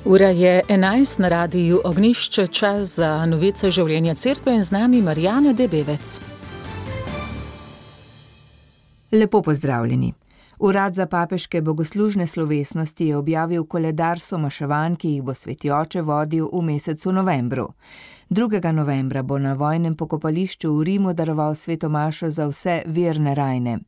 Ura je 11 na radiju Ognjišče, čas za novice življenja cerkve in z nami Marjana Debevec. Lepo pozdravljeni. Urad za papeške bogoslužne slovesnosti je objavil koledar somaševanj, ki jih bo sveti oče vodil v mesecu novembru. 2. novembra bo na vojnem pokopališču v Rimu daroval sveto mašo za vse verne rajne.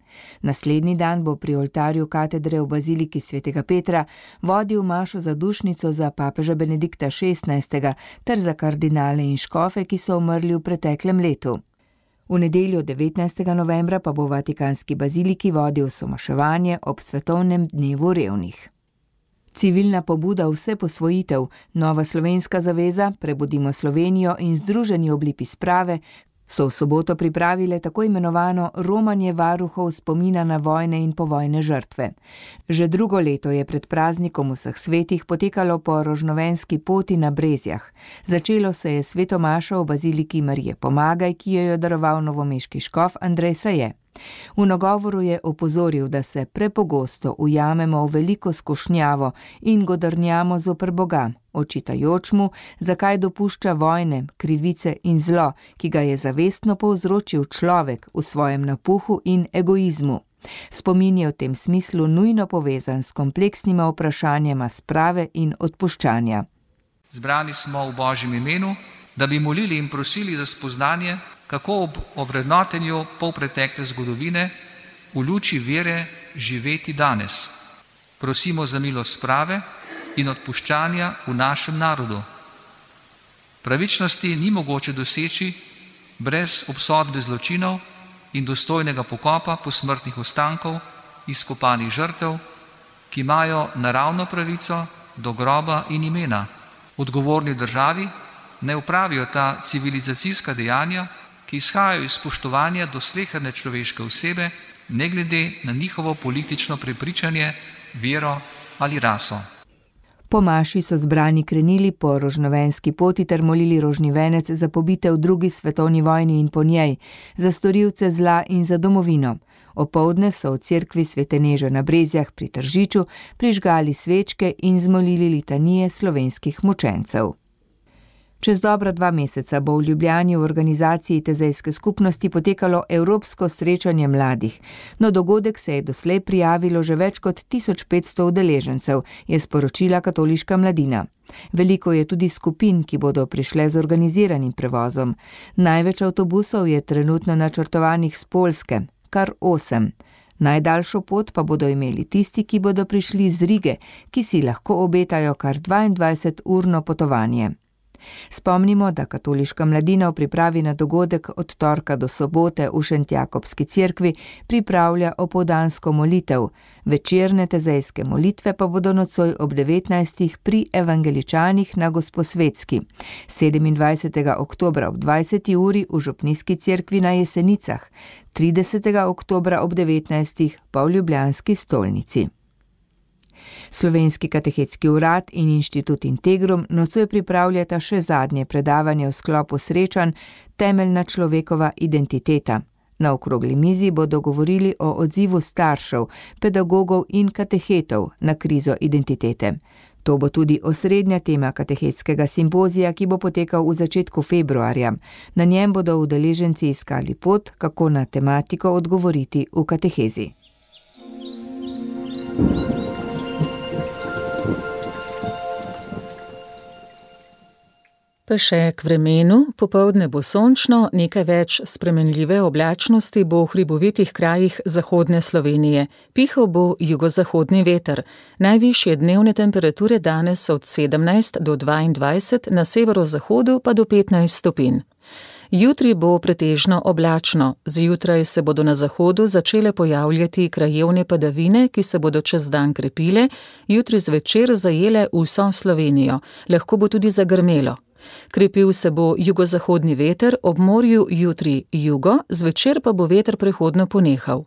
Naslednji dan bo pri oltarju katedre v baziliki svetega Petra vodil mašo za dušnico za papeža Benedikta XVI. Ter za kardinale in škofe, ki so umrli v preteklem letu. V nedeljo 19. novembra pa bo v Vatikanski baziliki vodil somaševanje ob svetovnem dnevu revnih. Civilna pobuda Vse posvojitev, Nova slovenska zaveza, Prebudimo Slovenijo in Združeni oblipi sprave so v soboto pripravile tako imenovano romanje varuhov spomina na vojne in povojne žrtve. Že drugo leto je pred praznikom vseh svetih potekalo po rožnovenski poti na Brezjah. Začelo se je sveto mašo v baziliki Marije Pomagaj, ki jo je daroval novomeški škof Andrej Saje. V nagovoru je opozoril, da se prepogosto ujamemo v veliko skušnjavo in godrnjamo zoper Boga, očitajoč mu, zakaj dopušča vojne, krivice in zlo, ki ga je zavestno povzročil človek v svojem napuhu in egoizmu. Spomin je v tem smislu nujno povezan s kompleksnima vprašanjema sprave in odpuščanja. Zbrani smo v Božjem imenu, da bi molili in prosili za spoznanje, kako ob ovrednotenju polpretekle zgodovine v luči vere živeti danes. Prosimo za milost sprave in odpuščanja v našem narodu. Pravičnosti ni mogoče doseči brez obsodbe zločinov in dostojnega pokopa posmrtnih ostankov izkopanih žrtev, ki imajo naravno pravico do groba in imena. Odgovorni državi ne opravijo ta civilizacijska dejanja, ki izhajajo iz spoštovanja do sleherne človeške osebe, ne glede na njihovo politično prepričanje, vero ali raso. Po maši so zbrani krenili po rožnovenski poti ter molili rožni venec za pobite v 2. svetovni vojni in po njej, za storilce zla in za domovino. Opoldne so v cerkvi Svete Neže na Brezjah pri Tržiču prižgali svečke in zmolili litanije slovenskih mučencev. Čez dobra 2 meseca bo v Ljubljani v organizaciji Tezejske skupnosti potekalo Evropsko srečanje mladih. Na dogodek se je doslej prijavilo že več kot 1500 udeležencev, je sporočila Katoliška mladina. Veliko je tudi skupin, ki bodo prišle z organiziranim prevozom. Največ avtobusov je trenutno načrtovanih z Poljske, kar 8. Najdaljšo pot pa bodo imeli tisti, ki bodo prišli z Rige, ki si lahko obetajo kar 22-urno potovanje. Spomnimo, da Katoliška mladina v pripravi na dogodek od torka do sobote v Šentjakobski cerkvi pripravlja opoldansko molitev. Večerne tezejske molitve pa bodo nocoj ob 19. pri evangeličanih na Gosposvetski. 27. oktobra ob 20. uri v Župnijski cerkvi na Jesenicah, 30. oktobra ob 19. pa v ljubljanski stolnici. Slovenski katehetski urad in inštitut Integrum nocoj pripravljata še zadnje predavanje v sklopu srečanj Temeljna človekova identiteta. Na okrogli mizi bodo govorili o odzivu staršev, pedagogov in katehetov na krizo identitete. To bo tudi osrednja tema katehetskega simpozija, ki bo potekal v začetku februarja. Na njem bodo udeleženci iskali pot, kako na tematiko odgovoriti v katehezi. Pa še k vremenu, popoldne bo sončno, nekaj več spremenljive oblačnosti bo v hribovitih krajih zahodne Slovenije. Pihal bo jugozahodni veter. Najvišje dnevne temperature danes so od 17 do 22, na severozahodu pa do 15 stopinj. Jutri bo pretežno oblačno. Zjutraj se bodo na zahodu začele pojavljati krajevne padavine, ki se bodo čez dan krepile, jutri zvečer zajele vso Slovenijo. Lahko bo tudi zagrmelo. Krepil se bo jugozahodni veter, ob morju jutri jugo, zvečer pa bo veter prehodno ponehal.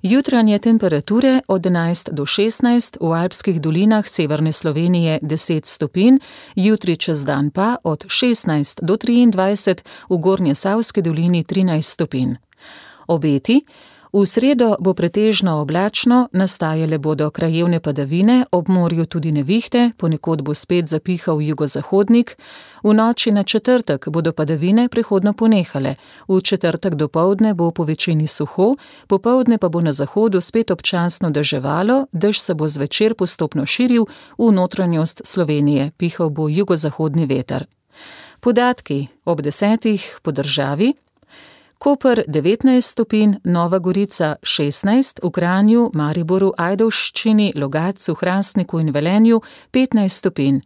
Jutranje temperature od 11 do 16, v alpskih dolinah severne Slovenije 10 stopinj, jutri čez dan pa od 16 do 23, v Gornjesavski dolini 13 stopinj. Obeti: V sredo bo pretežno oblačno, nastajale bodo krajevne padavine, ob morju tudi nevihte, ponekod bo spet zapihal jugozahodnik. V noči na četrtek bodo padavine prehodno ponehale. V četrtek dopoldne bo po večini suho, popoldne pa bo na zahodu spet občasno deževalo, dež se bo zvečer postopno širil v notranjost Slovenije, pihal bo jugozahodni veter. Podatki ob 10 po državi. Koper 19 stopinj, Nova Gorica 16, v Kranju, Mariboru, Ajdovščini, Logatcu, Hrastniku in Velenju 15 stopinj.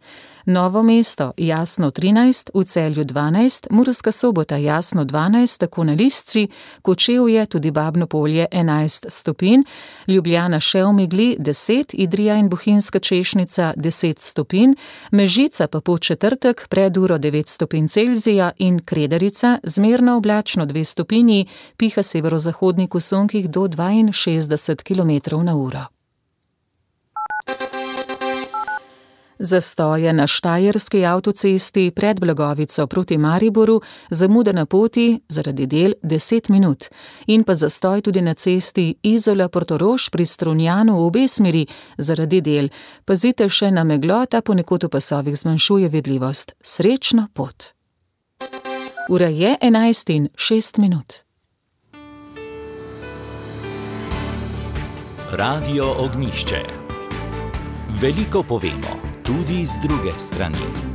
Novo mesto jasno 13, v Celju 12, Murska Sobota jasno 12, tako na Lisci, Kočevje, tudi Babno Polje 11 stopinj, Ljubljana še v megli 10, Idrija in Bohinjska Češnica 10 stopinj, Mežica pa po četrtek pred uro 9 stopinj Celzija in Kredarica zmerno oblačno 2 stopinji, piha severozahodnik v sunkih do 62 km/h. Zastoje na Štajerski avtocesti pred Blagovico proti Mariboru, zamuda na poti zaradi del 10 minut. In pa zastoj tudi na cesti Izola-Portorož pri Strunjanu v obe smeri zaradi del. Pazite še na meglo, ta ponekod v pasovih zmanjšuje vidljivost. Srečno pot! Ura je 11:06. Radio Ognjišče. Veliko povemo, tudi z druge strani.